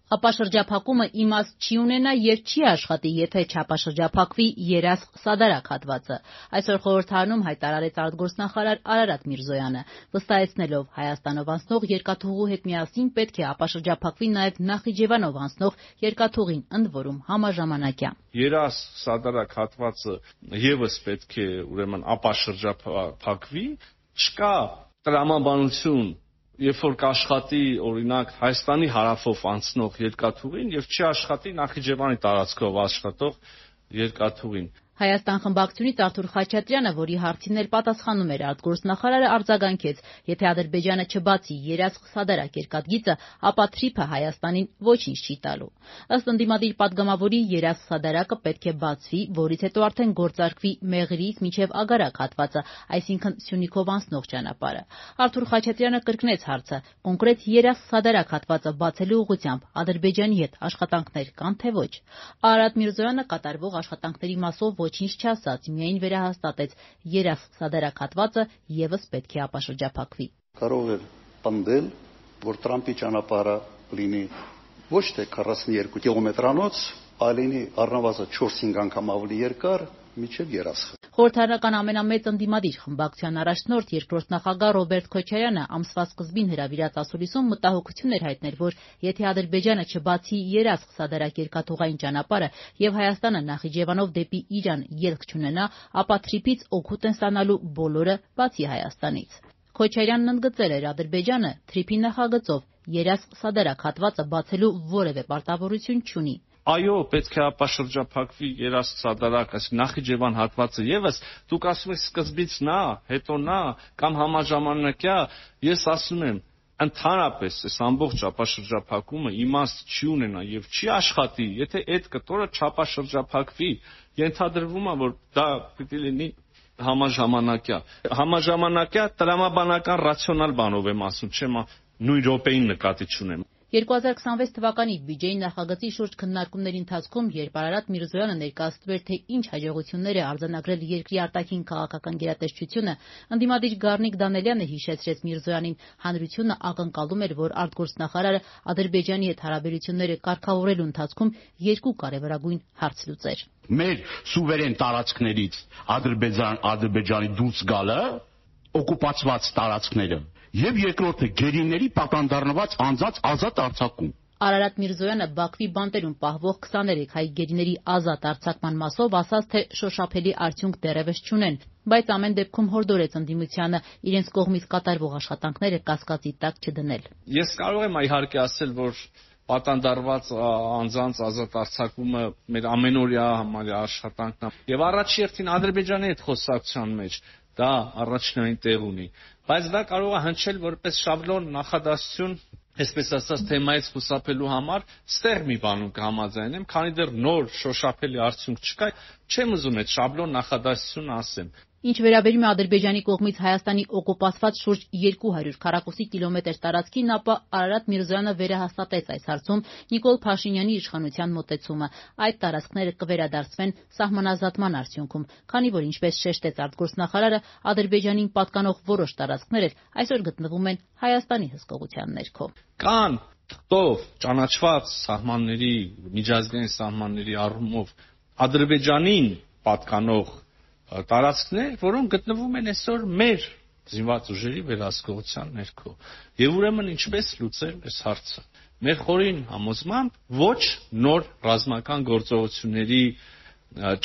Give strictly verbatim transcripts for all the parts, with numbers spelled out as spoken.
Ապա շրջափակումը իմաստ չի ունենա եւ չի աշխատի, եթե չապաշրջափակվի երասխ սադարակ հատվածը։ Այսօր խորհրդարանում հայտարարեց արտգործնախարար Արարատ Միրզոյանը, վստահեցնելով Հայաստանով անցնող երկաթուղու հետ միասին պետք է ապաշրջափակվի նաեւ Նախիջևանով անցնող երկաթուղին, ընդ որում համաժամանակյա։ Երասխ սադարակ հատվածը եւս պետք է ուրեմն ապաշրջափակվի, չկա տրամաբանություն, երբ որ կաշխատի օրինակ Հայաստանի հարավով անցնող երկաթուղին եւ չի աշխատի Նախիջևանի տարածքով աշխատող երկաթուղին։ Հայաստան խմբակցությունից Արթուր Խաչատրյանը, որի հարցին էլ պատասխանում էր արտգործնախարարը, արձագանքեց, եթե Ադրբեջանը չբացի երասխ սադարակ երկաթգիծը, ապա Թրիփը Հայաստանին ոչինչ չի տալու։ Ըստ ընդդիմադիր պատգամավորի երասխ սադարակը պետք է բացվի, որից հետո արդեն գործարկվի Մեղրիից մինչև Ագարակ հատվածը, այսինքն Սյունիքով անցնող ճանապարհը։ Արթուր Խաչատրյանը կրկնեց հարցը. կոնկրետ երասխ սադարակ հատվածը բացելու ուղղությամբ Ադրբեջանի հետ աշխատանքներ կան թե ոչ։ Արարատ Միրզոյանը կատարվող աշխատանքների մասով ոչինչ չասաց, միայն վերահաստատեց երասխ սադարակ հատվածը եւս պետք է ապաշրջափակվի։ Կարող է պնդել, որ Տրամպի ճանապարհը լինի ոչ թե քառասունյոթ կիլոմետրանոց, այլ լինի առնվազն չորս-հինգ անգամ ավելի երկար, մինչև երասխ։ Խորհրդարանական ամենամեծ ընդդիմադիր խմբակցության առաջնորդ երկրորդ նախագահ Ռոբերտ Քոչարյանը ամսվա սկզբին հրավիրած ասուլիսում մտահոգություն էր հայտնել, որ եթե Ադրբեջանը չբացի երասխ սադարակ երկաթուղային ճանապարհը եւ Հայաստանը Նախիջևանով դեպի Իրան ելք չունենա, ապա Թրիփից օգուտ են ստանալու բոլորը, բացի Հայաստանից։ Քոչարյանն ընդգծել էր Ադրբեջանը Թրիփի նախագծով երասխ սադարակ հատվածը բացելու որևէ պարտավորություն չունի։ Այո, պետք է ապաշրջափակվի երասխ սադարակ, այսինքն Նախիջևան հատվածը եւս, դուք ասում եք սկզբից նա, հետո նա կամ համաժամանակյա, ես ասում եմ, ընդհանրապես այս ամբողջ ապաշրջափակումը իմաստ չի ունենա եւ չի աշխատի, եթե այդ կտորը չապաշրջափակվի, ենթադրվում է, որ դա պիտի լինի համաժամանակյա։ Համաժամանակյա տրամաբանական ռացիոնալ բանով եմ ասում, չեմ նույն րոպեին նկատի չունեմ։ երկու հազար քսանվեց թվականի բյուջեի նախագծի շուրջ քննարկումների ընթացքում, երբ Արարատ Միրզոյանը ներկայացնում էր, թե ինչ հաջողություններ է արձանագրել երկրի արտաքին քաղաքական գերատեսչությունը, ընդդիմադիր Գառնիկ Դանելյանը հիշեցրեց Միրզոյանին, հանրությունը ակնկալում էր, որ արտգործնախարարը Ադրբեջանի հետ հարաբերությունները կարգավորելու ընթացքում երկու կարևորագույն հարց լուծեր։ Մեր սուվերեն տարածքներից Ադրբեջանի դուրս գալը, օկուպացված տարածքները եւ երկրորդը գերիների պատանդառնված անձած ազատ արձակում։ Արարատ Միրզոյանը Բաքվի բանտերում պահվող քսաներեք հայ գերիների ազատ արձակման մասով ասաց, թե շոշափելի արդյունք դեռևս չունեն, բայց ամեն դեպքում հորդորեց ընդդիմությանը իրենց կողմից կատարվող աշխատանքները կասկածի տակ չդնել։ Ես կարող եմ իհարկե ասել, որ պատանդառված անձանց ազատ արձակումը մեր ամենօրյա համարյա աշխատանքն է եւ առաջի հերթին Ադրբեջանի հետ խոսակցության մեջ դա առաջնային տեղ ունի, բայց դա կարող է հնչել որպես շաբլոն նախադասություն, այսպես ասած, թեմայից խուսափելու համար, ստեղ մի բանում կհամաձայնեմ, քանի դեռ նոր շոշափելի արդյունք չկա, չեմ ուզում այդ շաբլոն նախադասությունը ասեմ։ Ինչ վերաբերում է Ադրբեջանի կողմից Հայաստանի օկուպացված շուրջ երկու հարյուր քառակուսի կիլոմետր տարածքին, ապա Արարատ Միրզոյանը վերահաստատեց այս հարցում Նիկոլ Փաշինյանի իշխանության մոտեցումը։ Այդ տարածքները կվերադարձվեն սահմանազատման արդյունքում, քանի որ, ինչպես շեշտեց արտգործնախարարը, Ադրբեջանին պատկանող որոշ տարածքներ այսօր գտնվում են Հայաստանի հսկողության ներքո։ Կան թղթով ճանաչված սահմանների, միջազգային սահմանների առումով Ադրբեջանին պատկանող տարածքներ, որոնք գտնվում են այսօր մեր զինված ուժերի վերահսկողության ներքո։ Եվ ուրեմն ինչպես լուծել այս հարցը։ Մեր խորին համոզմամբ ոչ նոր ռազմական գործողությունների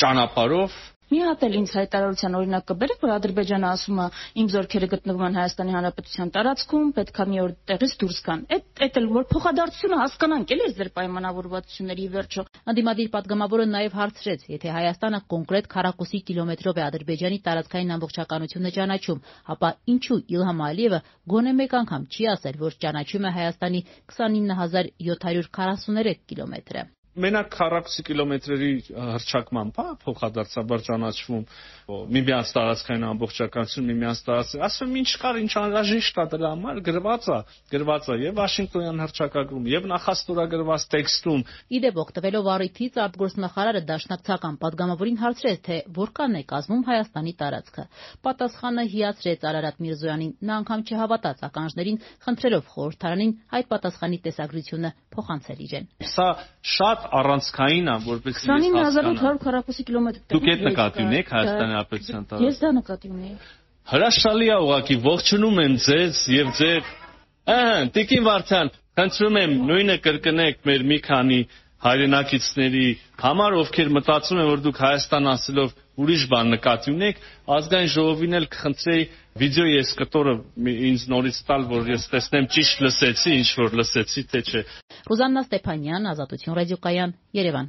ճանապարհով։ Մի հատ էլ ինձ հայտարարության օրինակ կբերեք, որ Ադրբեջանը ասում է իմ զորքերը գտնվում են Հայաստանի Հանրապետության տարածքում, պետքա մի օր տեղից դուրս գան։ Այդ այդ էլ որ փոխադարձությունը հասկանանք էլի ձեր պայմանավորվածությունների վերջո։ Ընդդիմադիր պատգամավորը նաև հարցրեց, եթե Հայաստանը կոնկրետ քառակուսի կիլոմետրով է Ադրբեջանի տարածքային ամբողջականությունը ճանաչում, ապա ինչու Իլհամ Ալիևը գոնե մեկ անգամ չի ասել, որ ճանաչում է Հայաստանի քսանինը հազար յոթ հարյուր քառասուներեք կիլոմետրը։ մենակ քառակուսի կիլոմետրերի հռչակմամբ, հա, փոխադարձաբար ճանաչվում միմյանց տարածքային ամբողջականություն, միմյանց տարածք, ասում եմ ինչ կար, ինչ անհրաժեշտ է դրա համար, գրված է, գրված է եւ Վաշինգտոնյան հռչակագրում, եւ նախաստորագրված տեքստում։ Իդեպ օգտվելով առիթից արտգործնախարարը դաշնակցական падգամավորին հարցրեց, թե որքան է կազմում Հայաստանի տարածքը։ Պատասխանը հիացրեց Արարատ Միրզոյանին, նա անգամ չհավատաց ականջներին, խնդրելով խորհրդարանին այդ պատասխանի տեսագրությունը փոխանցել իրեն։ Սա շատ առանցքային է, որպեսզի ես քսանինը հազար ութ հարյուր քառակուսի կիլոմետր։ Դուք այդ նկատի ունեք Հայաստանի Հանրապետության տարածքը։ Ես դա նկատի ունեի։ Հրաշալի է ուղղակի, ողջունում եմ ձեզ եւ ձեր ահա Տիկին Վարդան, խնդրում եմ նույնը կրկնեք մեր մի քանի հայրենակիցների համար, ովքեր մտածում են, որ դուք Հայաստան ասելով ուրիշ բան նկատի ունեք, ազգային ժողովին էլ կխնդրեի վիդեո ես կտորը ինձ նորից տալ, որ ես տեսնեմ ճիշտ լսեցի, ինչ որ լսեցի, թե չէ։ Ռուզաննա Ստեփանյան, Ազատություն ռադիոկայան, Երևան։